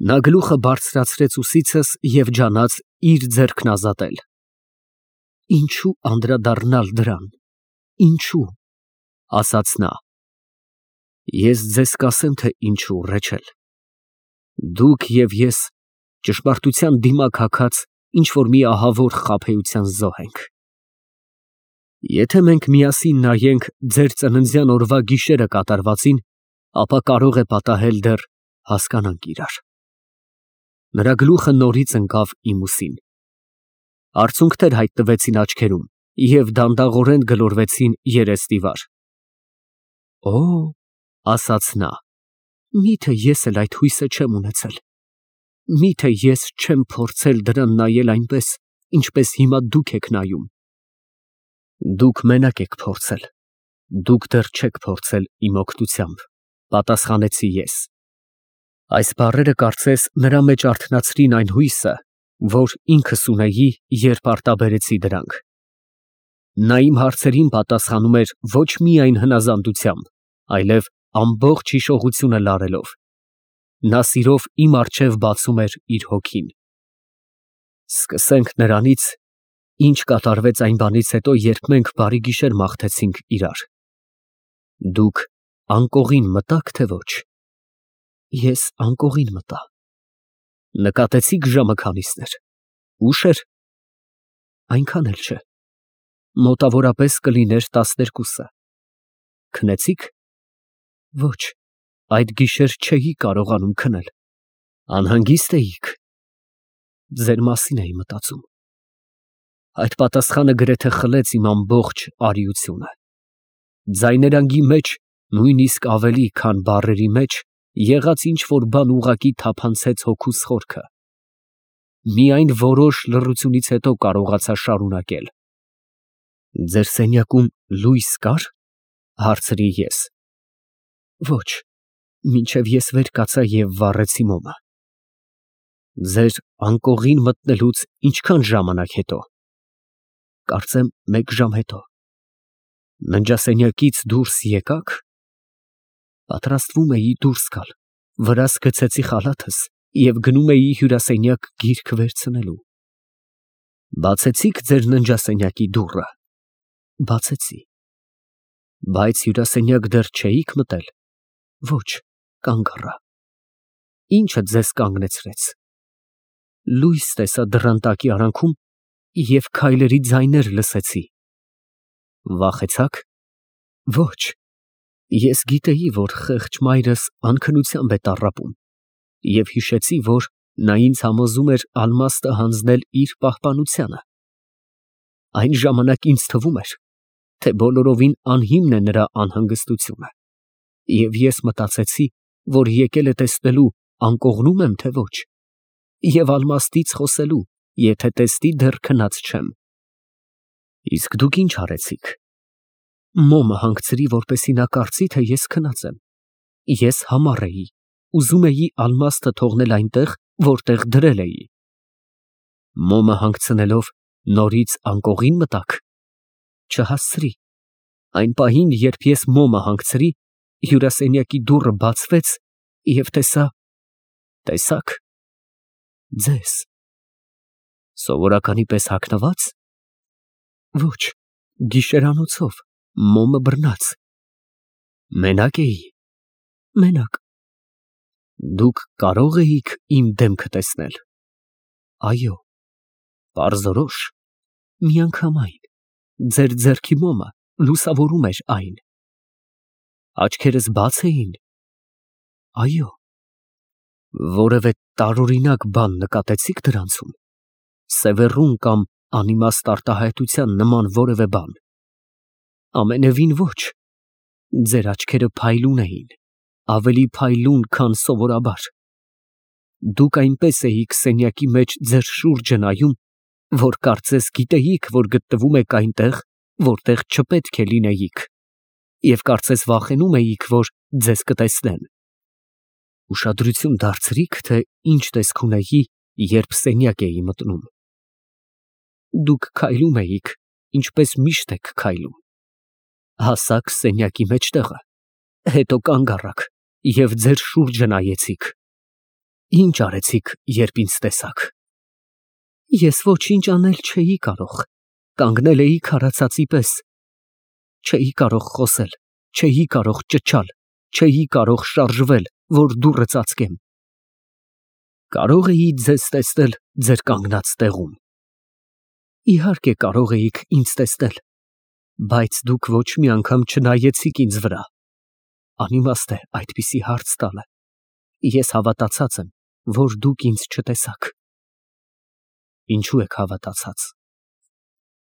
Նա գլուխը բարձրացրեց ուսիցս և ջանաց իր ձեռքն ազատել։ Ինչո՞ւ անդրադառնալ դրան, ինչո՞ւ, ասաց նա։ Ես ձեզ կասեմ, թե ինչու, Ռեչել։ Դուք և ես ճշմարտության դիմաք հագած ինչ֊որ մի ահավոր խաբեության զոհ ենք։ Եթե մենք միասին նայենք ձեր ծննդյան օրվա գիշերը կատարվածին, ապա կարող է պատահել դեռ հասկանանք իրար։ Նրա գլուխը նորից ընկավ իմ ուսին։ Արցունքներ հայտնվեցին աչքերում և դանդաղորեն գլորվեցին երեսնիվար։ Օ, ասաց նա, միթե ես էլ այդ հույսը չեմ ունեցել։ Միթե ես չեմ փորձել դրան նայել այնպես, ինչպես հիմա դուք եք նայում։ Դուք մենակ եք փորձել, դուք դեռ չեք փորձել իմ օգնությամբ, պատասխանեցի ես։ Այս բառերը կարծես նրա մեջ արթնացրին այն հույսը, որ ինքս ունեի, երբ արտաբերեցի դրանք։ Նա իմ հարցերին պատասխանում էր ոչ միայն հնազանդությամբ, այլև ամբողջ հիշողությունը լարելով։ Նա սիրով իմ առջև բացում էր իր հոգին։ Սկսենք նրանից, ինչ կատարվեց այն բանից հետո, երբ մենք բարի գիշեր մաղթեցինք իրար։ Դուք անկողին մտա՞ք, թե ոչ։ Ես անկողին մտա։ Նկատեցի՞ք ժամը քանիսն էր։ Ուշ էր։ Այնքան էլ չէ։ Մոտավորապես կլիներ 12-ը։ Քնեցի՞ք։ Ոչ, այդ գիշեր չէի կարողանում քնել։ Անհանգիստ էիք։ Ձեր մասին էի մտածում։ Այդ պատասխանը գրեթե խլեց իմ ամբողջ արիությունը։ Ձայներանգի մեջ, նույնիսկ ավելի, քան բառերի մեջ, եղած ինչ֊որ բան ուղղակի թափանցեց հոգուս խորքը։ Միայն որոշ լռությունից հետո կարողացա շարունակել։ Ձեր սենյակում լույս կա՞ր, հարցրի ես։ Ոչ, մինչև ես վեր կացա և վառեցի մոմը։ Ձեր անկողին մտնելուց ինչքան ժամանակ հետո։ Կարծեմ 1 ժամ հետո։ Ննջասենյակից դուրս եկա՞ք։ Պատրաստվում էի դուրս գալ, վրաս գցեցի խալաթս և գնում էի հյուրասենյակ գիրք վերցնելու։ Բացեցի՞ք ձեր ննջասենյակի դուռը։ Բացեցի։ Բայց հյուրասենյակ դեռ չէի՞ք մտել։ Ոչ, կանգ առա։ Ի՞նչը ձեզ կանգնեցրեց։ Լույս տեսա դռան տակի արանքում և քայլերի ձայներ լսեցի։ Վախեցա՞ք։ Ոչ։ Ես գիտեի, որ խեղճ մայրս անքնությամբ է տառապում, և հիշեցի, որ նա ինձ համոզում էր ալմաստը հանձնել իր պահպանությանը։ Այն ժամանակ ինձ թվում էր, թե բոլորովին անհիմն է նրա անհանգստությունը, և ես մտածեցի, որ եկել է տեսնելու անկողնու՞մ եմ, թե ոչ, և ալմաստից խոսելու, եթե տեսնի դեռ քնած չեմ։ Իսկ դուք ի՞նչ արեցիք։ Մոմը հանգցրի, որպեսզի նա կարծի, թե ես քնած եմ։ Ես համառ էի, ուզում էի ալմաստը թողնել այնտեղ, որտեղ դրել էի։ Մոմը հանգցնելով նորից անկողին մտաք։ Չհասցրի։ Այն պահին, երբ ես մոմը հանգցրի, հյուրասենյակի դուռը բացվեց և տեսա… Տեսա՞ք։ Ձեզ։ Սովորականի պես հագնվա՞ծ։ Ոչ, գիշերանոցով, մոմը բռնած։ Մենա՞կ էի։ Մենակ։ Դուք կարո՞ղ էիք իմ դեմքը տեսնել։ Այո։ Պարզորոշ։ Միանգամայն, ձեր ձեռքի մոմը լուսավորում էր այն։ Աչքերս բաց էին։ Այո։ Որևէ տարօրինակ բան նկատեցի՞ք դրանցում։ Սևեռուն կամ անիմաստ արտահայտության նման որևէ բան։ Ամենևին ոչ։ Ձեր աչքերը փայլուն էին, ավելի փայլուն, քան սովորաբար։ Դուք այնպես էիք սենյակի մեջ ձեր շուրջը նայում, որ կարծես գիտեիք, որ գտնվում եք այնտեղ, որտեղ չպետք է լինեիք, և կարծես վախենում էիք, որ ձեզ կտեսնեն։ Ուշադրություն դարձրի՞ք, թե ինչ տեսք ունեի, երբ սենյակ էի մտնում։ Դուք քայլում էիք, ինչպես միշտ եք քայլում։ Հասաք սենյակի մեջտեղը, հետո կանգ առաք և ձեր շուրջը նայեցիք։ Ինչ արեցիք, երբ ինձ տեսաք։ Ես ոչինչ անել չէի կարող, կանգնել էի քարացածի պես։ Չէի կարող խոսել, չէի կարող ճչալ, չէի կարող շարժվել, որ դուռը ծածկեմ։ Կարող էի ձեզ տեսնել ձեր կանգնած տեղում։ Իհարկե կարող էիք ինձ տեսնել, բայց դուք ոչ մի անգամ չնայեցիք ինձ վրա։ Անիմաստ է այդպիսի հարց տալը։ Ես հավատացած եմ, որ դուք ինձ չտեսաք։ Ինչու եք հավատացած։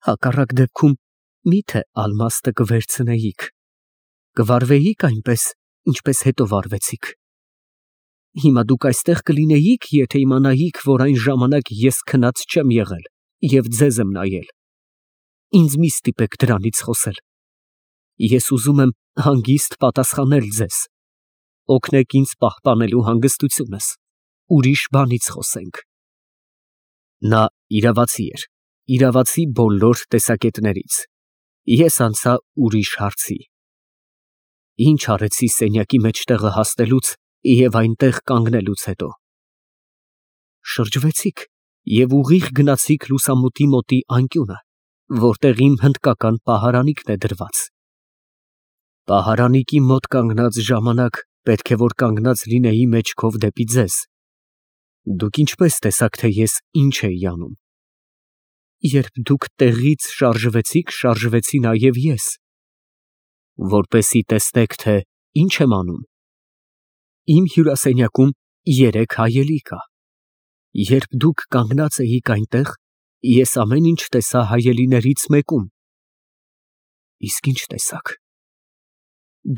Հակառակ դեպքում միթե ալմաստը կվերցնեիք, կվարվեիք այնպես, ինչպես հետո վարվեցիք։ Հիմա դուք այստեղ կլինեիք, եթե իմանայիք, որ այն ժամանակ ես քնած չեմ եղել և ձեզ եմ նայել։ Ինձ մի ստիպեք դրանից խոսել։ Ես ուզում եմ հանգիստ պատասխանել ձեզ։ Օգնեք ինձ պահպանելու հանգստությունս։ Ուրիշ բանից խոսենք։ Նա իրավացի էր, իրավացի բոլոր տեսակետներից։ Ես անցա ուրիշ հարցի։ Ինչ արեցի սենյակի մեջտեղը հասնելուց և այնտեղ կանգնելուց հետո։ Շրջվեցիք և ուղիղ գնացիք լուսամուտի մոտի անկյունը, որտեղ իմ հնդկական պահարանիքն է դրված։ Պահարանիկի մոտ կանգնած ժամանակ պետք է որ կանգնած լինեի մեջքով դեպի ձեզ։ Դուք ինչպես տեսաք, թե ես ինչ էի անում։ Երբ դուք տեղից շարժվեցիք, շարժվեցի նաև ես, որպեսզի տեսնեք, թե ինչ եմ անում։ Իմ հյուրասենյակում 3 հայելի կա։ Երբ դուք կանգնած էիք այնտեղ, ես ամեն ինչ տեսա հայելիներից մեկում։ Իսկ ինչ տեսաք։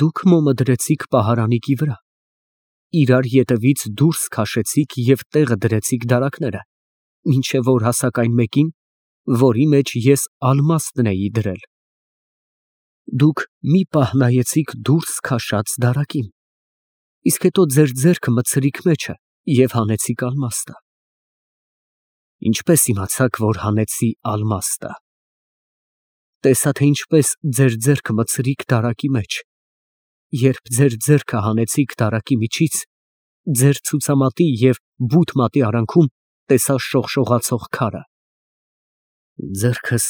Դուք մոմը դրեցիք պահարանիկի վրա, իրար ետևից դուրս քաշեցիք և տեղը դրեցիք դարակները, մինչև որ հասաք այն մեկին, որի մեջ ես ալմաստն էի դրել։ Դուք մի պահ նայեցիք դուրս քաշած դարակին, իսկ հետո ձեր ձեռքը մտցրիք մեջը և հանեցիք ալմաստը։ Ինչպես իմացաք, որ հանեցի ալմաստը։ Տեսա, թե ինչպես ձեր ձեռքը մտցրիք դարակի մեջ։ Երբ ձեր ձեռքը հանեցիք դարակի միջից, ձեր ցուցամատի և բութ մատի արանքում տեսա շողշողացող քարը։ Ձեռքս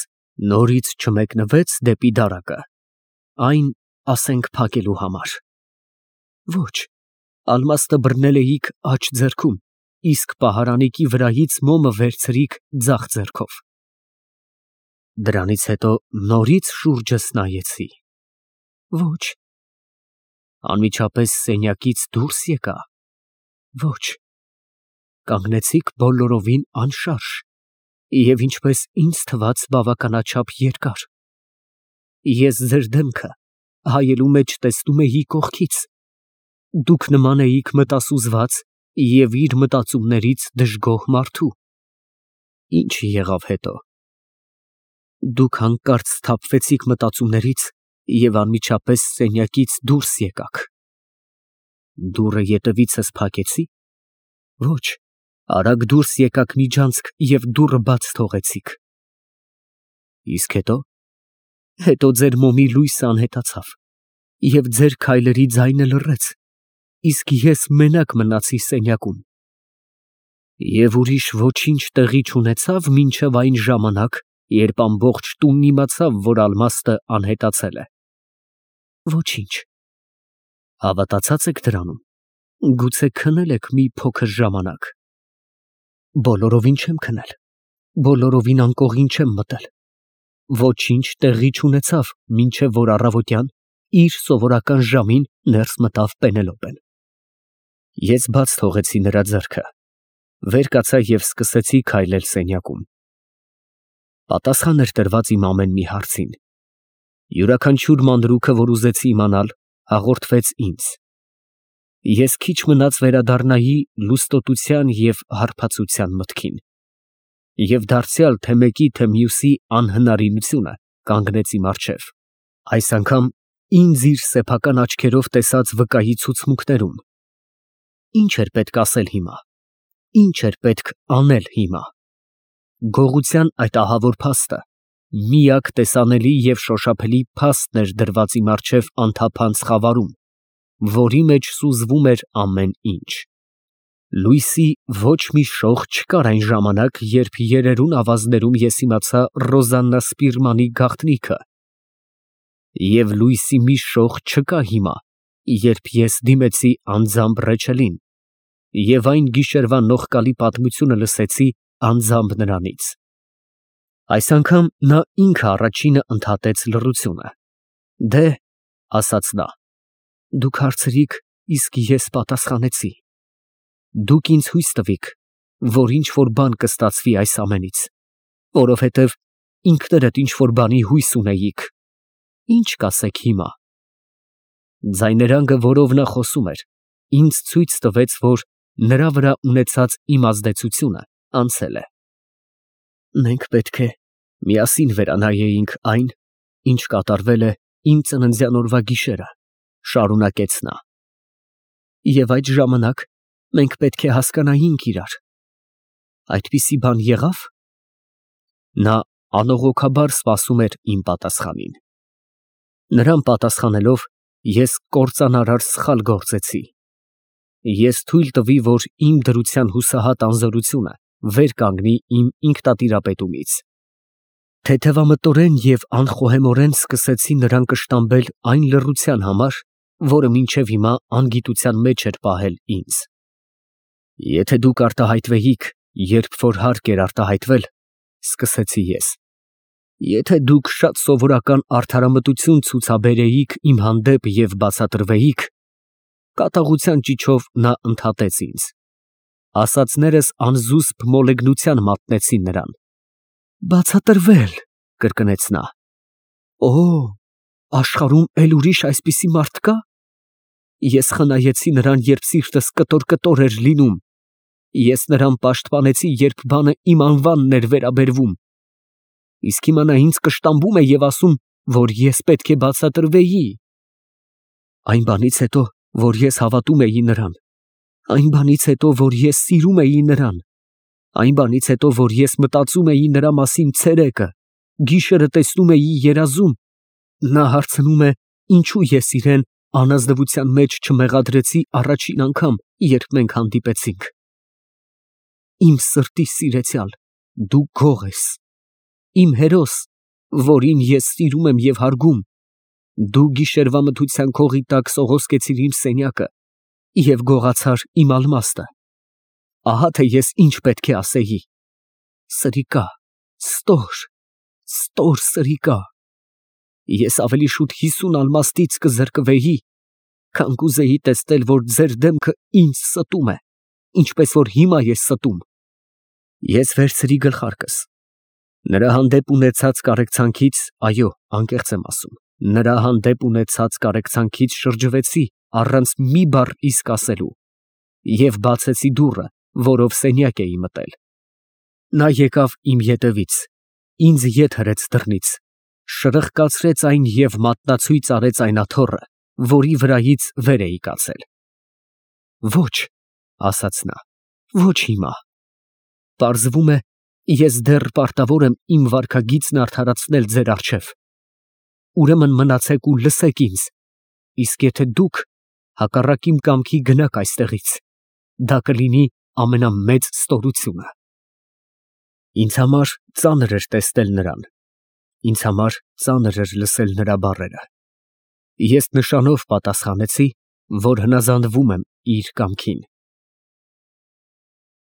նորից չմեկնվեց դեպի դարակը, այն, ասենք, փակելու համար։ Ոչ, ալմաստը բռնել էիք աջ ձեռքում, իսկ պահարանիկի վրայից մոմը վերցրիք ձախ ձեռքով։ Դրանից հետո նորից շուրջս նայեցի։ Ոչ։ Անմիջապես սենյակից դուրս եկա։ Ոչ։ Կանգնեցիք բոլորովին անշարժ և ինչպես ինձ թվաց բավականաչափ երկար։ Ես ձեր դեմքը հայելու մեջ տեսնում էի կողքից։ Դուք նման էիք մտասուզված և իր մտածումներից դժգոհ մարդու։ Ինչ եղավ հետո։ Դուք հանկարծ սթափվեցիք մտածումներից և անմիջապես սենյակից դուրս եկաք։ Դուռը ետևիցս փակեցի։ Ոչ, արագ դուրս եկաք միջանցք և դուռը բաց թողեցիք։ Իսկ հետո։ Հետո ձեր մոմի լույսը անհետացավ և ձեր քայլերի ձայնը լռեց, իսկ ես մենակ մնացի սենյակում։ Եվ ուրիշ ոչինչ տեղի չունեցավ մինչև այն ժամանակ, երբ ամբողջ տունն իմացավ, որ ալմաստը անհետացել է։ Ոչինչ։ Հավատացած եք դրանում։ Գուցե քնել եք մի փոքր ժամանակ։ Բոլորովին չեմ քնել։ Բոլորովին անկողին չեմ մտել։ Ոչինչ տեղի չունեցավ, մինչև որ առավոտյան իր սովորական ժամին ներս մտավ Պենելոպեն։ Ես բաց թողեցի նրա ձեռքը, վեր կացա և սկսեցի քայլել սենյակում։ Պատասխան էր տրված իմ ամեն մի հարցին։ Յուրաքանչյուր մանրուքը, որ ուզեցի իմանալ, հաղորդվեց ինձ։ Ես քիչ մնաց վերադառնայի լուստոտության և հարբածության մտքին։ Եվ դարձյալ թե մեկի, թե մյուսի անհնարինությունը կանգնեց իմ առջև, այս անգամ ինձ իր սեփական աչքերով տեսած վկայի ցուցմունքներում։ Ինչ էր պետք ասել հիմա։ Ինչ էր պետք անել հիմա։ Գողության այդ ահավոր փաստը միակ տեսանելի և շոշափելի փաստն էր դրված իմ առջև անթափանց խավարում, որի մեջ սուզվում էր ամեն ինչ։ Լույսի ոչ մի շող չկար այն ժամանակ, երբ երերուն ավազներում ես իմացա Ռոզաննա Սպիրմանի գաղտնիքը, և լույսի մի շող չկա հիմա, երբ ես դիմեցի անձամբ Ռեչելին և այն գիշերվա նողկալի պատմությունը լսեցի անձամբ նրանից։ Այս անգամ նա ինքը առաջինը ընդհատեց լռությունը։ Դե, ասաց նա, դուք հարցրիք, իսկ ես պատասխանեցի։ Դուք ինձ հույս տվիք, որ ինչ-որ բան կստացվի այս ամենից, որովհետև ինքներդ ինչ-որ բանի հույս ունեիք։ Ինչ կասեք հիմա։ Ձայներանգը, որով նա խոսում էր, ինձ ցույց տվեց, որ նրա վրա ունեցած իմ ազդեցությունը անցել է։ Մենք պետք է միասին վերանայեինք այն, ինչ կատարվել է իմ ծննդյան օրվա գիշերը, շարունակեց նա։ Եվ այդ ժամանակ մենք պետք է հասկանայինք իրար։ Այդպիսի բան եղավ։ Նա անողոքաբար սպասում էր իմ պատասխանին։ Նրան պատասխանելով, ես կործանարար սխալ գործեցի։ Ես թույլ տվի, որ իմ դրության հուսահատ անզորությունը վեր կանգնի իմ ինքնատիրապետումից։ Թեթևամտորեն և անխոհեմորեն սկսեցի նրան կշտամբել այն լռության համար, որը մինչև հիմա անգիտության մեջ էր պահել ինձ։ Եթե դուք արտահայտվեիք, երբ որ հարկ էր արտահայտվել, սկսեցի ես, եթե դուք շատ սովորական արդարամտություն ցուցաբերեիք իմ հանդեպ և բացատրվեիք, կատաղության ճիչով նա ընդհատեց ինձ։ Ասածներս անզուսպ մոլեգնության մատնեցին նրան։ Բացատրվել, կրկնեց նա։ Օ, աշխարհում էլ ուրիշ այսպիսի մարդ կա։ Ես խնայեցի նրան, երբ սիրտս կտոր էր լինում։ Ես նրան պաշտպանեցի, երբ բանը իմ անվանն էր վերաբերվում։ Իսկ հիմա նա ինձ կշտամբում է և ասում, որ ես պետք է բացատրվեի։ Այն բանից հետո, որ ես հավատում էի նրան, այն բանից հետո, որ ես սիրում էի նրան, այն բանից հետո, որ ես մտածում էի նրա մասին ցերեկը, գիշերը տեսնում էի երազում, նա հարցնում է, ինչու ես իրեն անազնվության մեջ չմեղադրեցի առաջին անգամ, երբ մենք հանդիպեցինք։ Իմ սրտի սիրեցյալ, դու գող ես, իմ հերոս, որին ես սիրում եմ և հարգում, դու գիշերվա մթության քողի տակ սողոսկեցիր իմ սենյակը և գողացար իմ ալմաստը։ Ահա թե ես ինչ պետք է ասեի. սրիկա, ստոր սրիկա։ Ես ավելի շուտ 50 ալմաստից կզրկվեի, քան կուզեի տեսնել, որ ձեր դեմքը ինձ ստում է, ինչպես որ հիմա ես ստում։ Ես վերցրի գլխարկս։ Նրա հանդեպ ունեցած կարեկցանքից, այո, անկեղծ եմ ասում, նրա հանդեպ ունեցած կարեկցանքից շրջվեցի առանց մի բառ իսկ ասելու և բացեցի դուռը, որով սենյակ էի մտել։ Նա եկավ իմ ետևից, ինձ ետ հրեց դռնից, շրխկացրեց այն և մատնացույց արեց այն աթոռը, որի վրայից վեր էի կացել։ Ոչ, ասաց նա, ոչ հիմա։ Պարզվում է, ես դեռ պարտավոր եմ իմ վարքագիծն արդարացնել ձեր առջև։ Ուրեմն մնացեք ու լսեք ինձ, իսկ եթե դուք հակառակ իմ կամքի գնաք այստեղից, դա կլինի ամենամեծ ստորությունը։ Ինձ համար ծանր էր տեսնել նրան, ինձ համար ծանր էր լսել նրա բառերը։ Ես նշանով պատասխանեցի, որ հնազանդվում եմ իր կամքին։